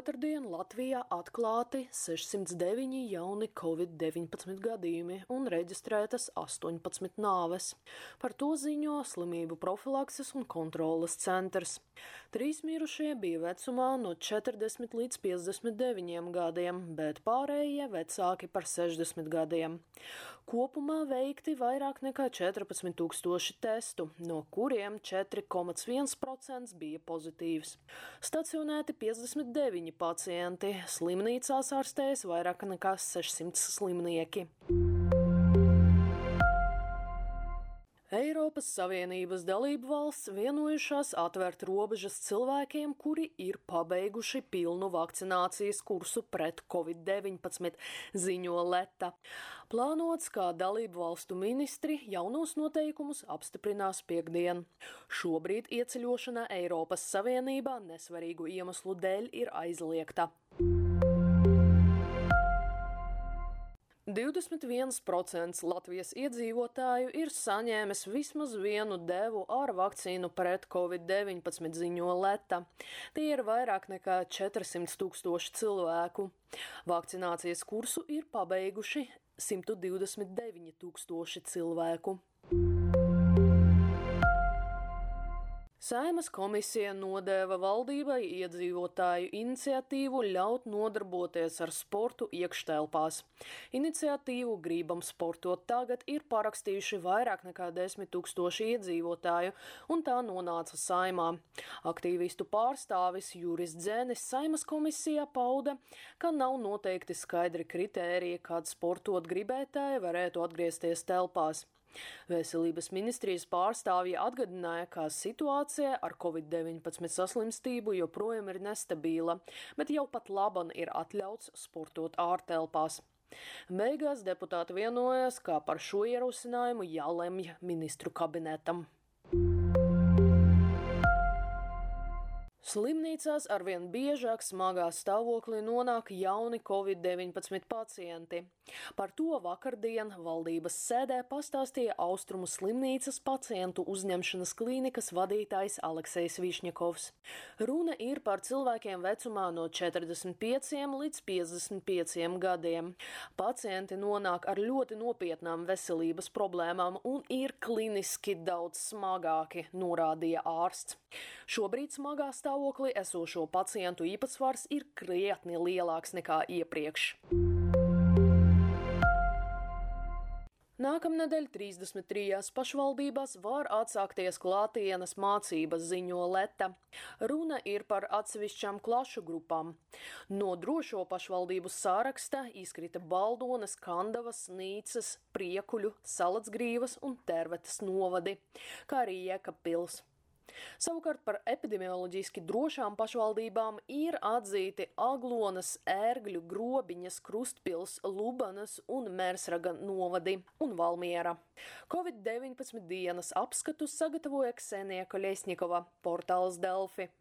Otrdien Latvijā atklāti 609 jauni Covid-19 gadījumi un reģistrētas 18 nāves. Par to ziņo Slimību profilakses un kontroles centrs. 3 mirušie bija vecumā no 40 līdz 59 gadiem, bet pārējie vecāki par 60 gadiem. Kopumā veikti vairāk nekā 14 000 testu, no kuriem 4,1% bija pozitīvs. Stacionēti 59 pacienti, slimnīcās ārstējas vairāk nekā 600 slimnieki. Eiropas Savienības dalību valsts vienojušās atvērt robežas cilvēkiem, kuri ir pabeiguši pilnu vakcinācijas kursu pret Covid-19, ziņo Leta. Plānots, kā dalību valstu ministri jaunos noteikumus apstiprinās piektdien. Šobrīd ieceļošana Eiropas Savienībā nesvarīgu iemeslu dēļ ir aizliegta. 21% Latvijas iedzīvotāju ir saņēmis vismaz vienu devu ar vakcīnu pret Covid-19, ziņo Leta. Tie ir vairāk nekā 400 000 cilvēku. Vakcinācijas kursu ir pabeiguši 129 000 cilvēku. Saeimas komisija nodeva valdībai iedzīvotāju iniciatīvu ļaut nodarboties ar sportu iekštelpās. Iniciatīvu Gribam sportot tagad ir parakstījuši vairāk nekā 10 000 iedzīvotāju, un tā nonāca Saeimā. Aktīvistu pārstāvis Juris Dzenis Saeimas komisijā pauda, ka nav noteikti skaidri kritēriji, kad sportot gribētāji varētu atgriezties telpās. Veselības ministrijas pārstāvji atgādināja, ka situācija ar Covid-19 saslimstību joprojām ir nestabila, bet jau pat laban ir atļauts sportot ārtelpās. Beigās deputāti vienojās, ka par šo ierosinājumu jālemj ministru kabinetam. Slimnīcās arvien biežāk smagā stāvoklī nonāk jauni Covid-19 pacienti. Par to vakardien valdības sēdē pastāstīja Austrumu slimnīcas pacientu uzņemšanas klīnikas vadītājs Aleksejs Višņakovs. Runa ir par cilvēkiem vecumā no 45 līdz 55 gadiem. Pacienti nonāk ar ļoti nopietnām veselības problēmām un ir kliniski daudz smagāki, norādīja ārsts. Šobrīd smagā stāvoklī esošo pacientu īpatsvars ir krietni lielāks nekā iepriekš. Nākamnedēļ 33 pašvaldībās var atsākties klātienes mācības, ziņo Leta. Runa ir par atsevišķām klašu grupām. No drošo pašvaldību sāraksta izkrita Baldones, Kandavas, Nīcas, Priekuļu, Salacgrīvas un Tervetes novadi, kā arī Jēkabpils. Savukārt par epidemioloģiski drošām pašvaldībām ir atzīti Aglonas, Ērgļu, Grobiņas, Krustpils, Lubanas un Mērsraga novadi un Valmiera. Covid-19 dienas apskatu sagatavoja Ksenija Koļesņikova, portāls Delfi.